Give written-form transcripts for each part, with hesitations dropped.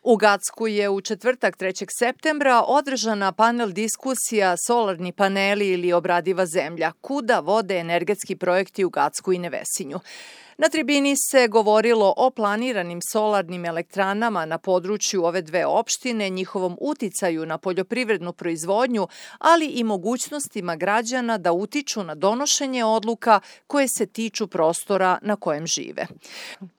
U Gacku je u četvrtak 3. septembra održana panel diskusija Solarni paneli ili obradiva zemlja, kuda vode energetski projekti u Gacku i Nevesinju. Na tribini se govorilo o planiranim solarnim elektranama na području ove dve opštine, njihovom uticaju na poljoprivrednu proizvodnju, ali i mogućnostima građana da utiču na donošenje odluka koje se tiču prostora na kojem žive.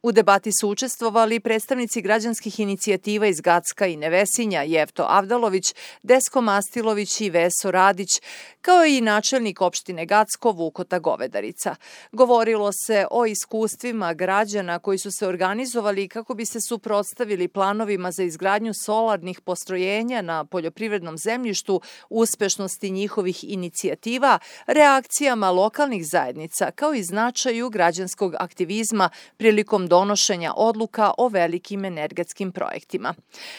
U debati su učestvovali predstavnici građanskih inicijativa iz Gacka i Nevesinja, Jevto Avdalović, Desko Mastilović i Veso Radić, kao i načelnik opštine Gacko Vukota Govedarica. Govorilo se o iskustvima građana koji su se organizovali kako bi se suprotstavili planovima za izgradnju solarnih postrojenja na poljoprivrednom zemljištu, uspešnosti njihovih inicijativa, reakcijama lokalnih zajednica, kao i značaju građanskog aktivizma prilikom donošenja odluka o velikim energetskim projektima.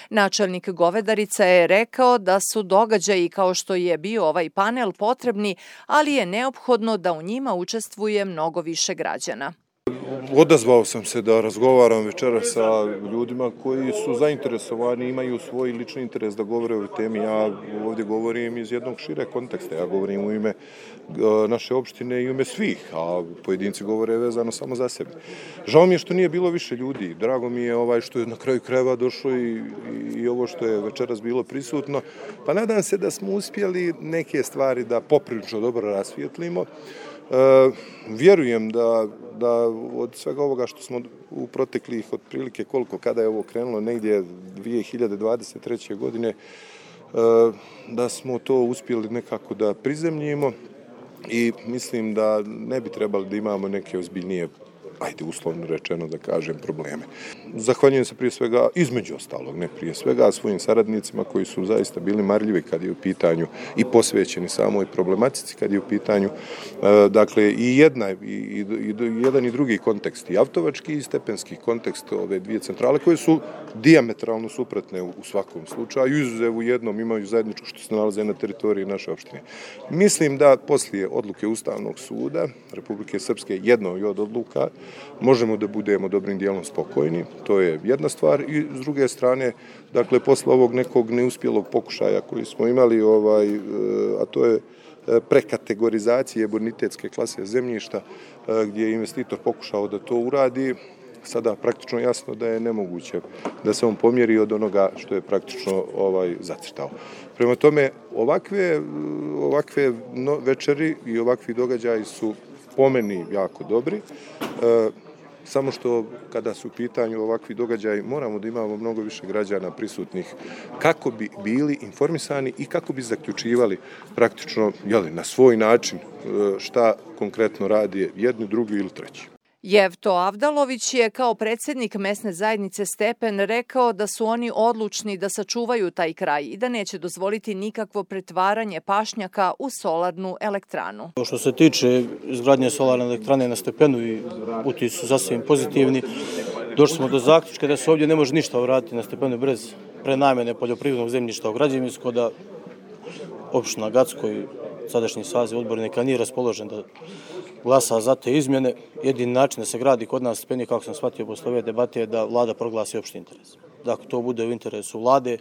Načelnik Govedarica je rekao da su događaji kao što je bio ovaj panel potrebni, ali je neophodno da u njima učestvuje mnogo više građana. Odazvao sam se da razgovaram večeras sa ljudima koji su zainteresovani, imaju svoj lični interes da govore o ovoj temi. Ja ovdje govorim iz jednog šire konteksta, ja govorim u ime naše opštine i u ime svih, a pojedinci govore vezano samo za sebe. Žao mi je što nije bilo više ljudi, drago mi je što je na kraju krajeva došlo i ovo što je večeras bilo prisutno, pa nadam se da smo uspjeli neke stvari da poprilično dobro rasvijetlimo. Vjerujem da od svega ovoga što smo u proteklih otprilike kada je ovo krenulo, negdje 2023. godine, da smo to uspjeli nekako da prizemljimo i mislim da ne bi trebali da imamo neke ozbiljnije, uslovno rečeno da kažem, probleme. Zahvaljujem se prije svega, između ostalog, ne prije svega, svojim saradnicima koji su zaista bili marljivi kad je u pitanju i posvećeni samoj problematici, kad je u pitanju, dakle, i jedan i drugi kontekst, i avtovački i stepenski kontekst ove dvije centrale, koje su dijametralno suprotne u svakom slučaju, izuzev u jednom imaju zajedničko što se nalaze na teritoriji naše opštine. Mislim da poslije odluke Ustavnog suda Republike Srpske, jednoj od odluka, možemo da budemo dobrim dijelom spokojni, to je jedna stvar, i s druge strane, dakle, posle ovog nekog neuspjelog pokušaja koji smo imali, a to je prekategorizacije bonitetske klase zemljišta, gdje je investitor pokušao da to uradi, sada praktično jasno da je nemoguće da se on pomjeri od onoga što je praktično zacrtao. Prema tome, ovakve večeri i ovakvi događaji su po meni jako dobri, samo što kada su u pitanju ovakvi događaji moramo da imamo mnogo više građana prisutnih kako bi bili informisani i kako bi zaključivali praktično na svoj način šta konkretno radi jedni, drugi ili treći. Jevto Avdalović je kao predsjednik mesne zajednice Stepen rekao da su oni odlučni da sačuvaju taj kraj i da neće dozvoliti nikakvo pretvaranje pašnjaka u solarnu elektranu. Što se tiče izgradnje solarne elektrane na Stepenu i uti su sasvim pozitivni, došli smo do zaključka da se ovdje ne može ništa uraditi na Stepenu bez prenamjene poljoprivrednog zemljišta u građevinsko, da opština Gacko i sadašnji saziv odbornika nije raspoložen da glasa za te izmjene. Jedini način da se gradi kod nas Stepen, kako sam shvatio posle ove debate, je da vlada proglasi opšti interes. Dakle, to bude u interesu vlade.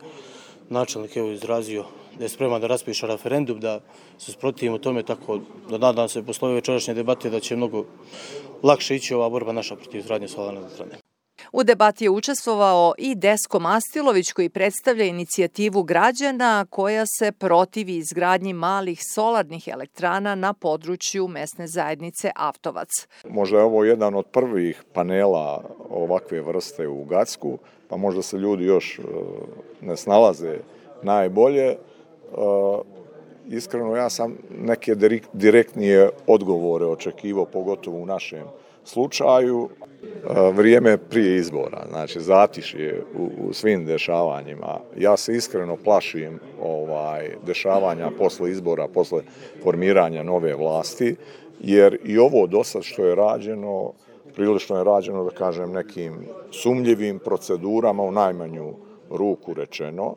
Načelnik je izrazio da je spreman da raspiše referendum, da se sprotivimo tome, tako da nadam se posle ove večerašnje debate da će mnogo lakše ići ova borba naša protiv izgradnje solarne elektrane. U debati je učestvovao i Desko Mastilović, koji predstavlja inicijativu građana koja se protivi izgradnji malih solarnih elektrana na području mesne zajednice Avtovac. Možda je ovo jedan od prvih panela ovakve vrste u Gacku, pa možda se ljudi još ne snalaze najbolje. Iskreno, ja sam neke direktnije odgovore očekivao, pogotovo u našem slučaju. Vrijeme prije izbora, znači zatišje u svim dešavanjima. Ja se iskreno plašim dešavanja posle izbora, posle formiranja nove vlasti, jer i ovo dosad što je rađeno, prilično je rađeno, da kažem, nekim sumnjivim procedurama, u najmanju ruku rečeno.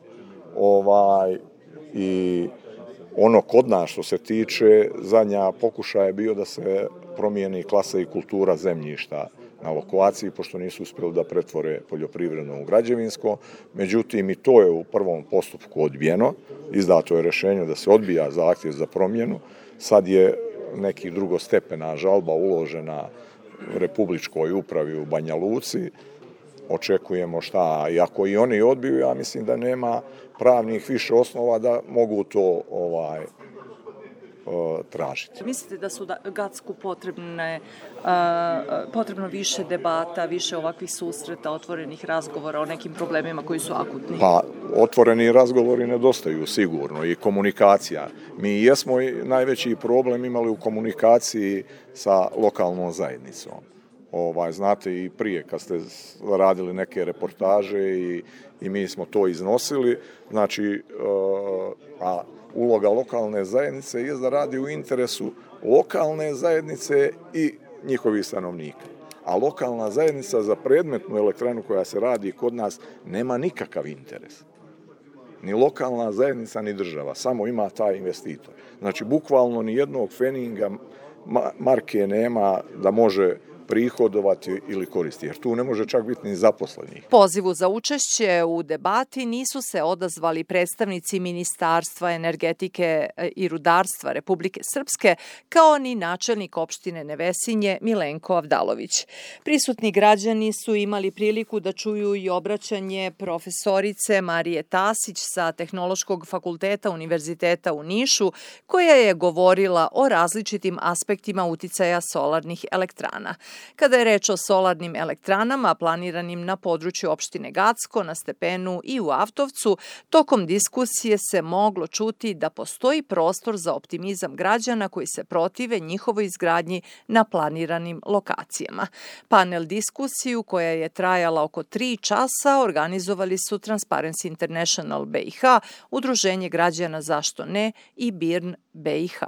I ono kod nas što se tiče, zadnja pokušaj je bio da se promijeni klasa i kultura zemljišta na lokaciji, pošto nisu uspjeli da pretvore poljoprivredno u građevinsko. Međutim, i to je u prvom postupku odbijeno. Izdato je rješenje da se odbija zahtjev za promjenu. Sad je neki drugostepena žalba uložena Republičkoj upravi u Banja Luci. Očekujemo šta, i ako i oni odbiju, ja mislim da nema pravnih više osnova da mogu to tražiti. Mislite da su Gacku potrebno više debata, više ovakvih susreta, otvorenih razgovora o nekim problemima koji su akutni? Pa, otvoreni razgovori nedostaju sigurno i komunikacija. Mi jesmo najveći problem imali u komunikaciji sa lokalnom zajednicom. Znate, i prije kad ste radili neke reportaže i mi smo to iznosili, znači, a uloga lokalne zajednice je da radi u interesu lokalne zajednice i njihovih stanovnika. A lokalna zajednica za predmetnu elektranu koja se radi kod nas nema nikakav interes. Ni lokalna zajednica, ni država, samo ima taj investitor. Znači, bukvalno ni jednog feninga marke nema da može prihodovati ili koristi, jer tu ne može čak biti ni zaposlenih. Pozivu za učešće u debati nisu se odazvali predstavnici Ministarstva energetike i rudarstva Republike Srpske, kao ni načelnik opštine Nevesinje Milenko Avdalović. Prisutni građani su imali priliku da čuju i obraćanje profesorice Marije Tasić sa Tehnološkog fakulteta Univerziteta u Nišu, koja je govorila o različitim aspektima uticaja solarnih elektrana. Kada je reč o solarnim elektranama planiranim na području opštine Gacko, na Stepenu i u Avtovcu, tokom diskusije se moglo čuti da postoji prostor za optimizam građana koji se protive njihovoj izgradnji na planiranim lokacijama. Panel diskusiju, koja je trajala oko 3 časa, organizovali su Transparency International BiH, Udruženje građana Zašto ne i BIRN BiH.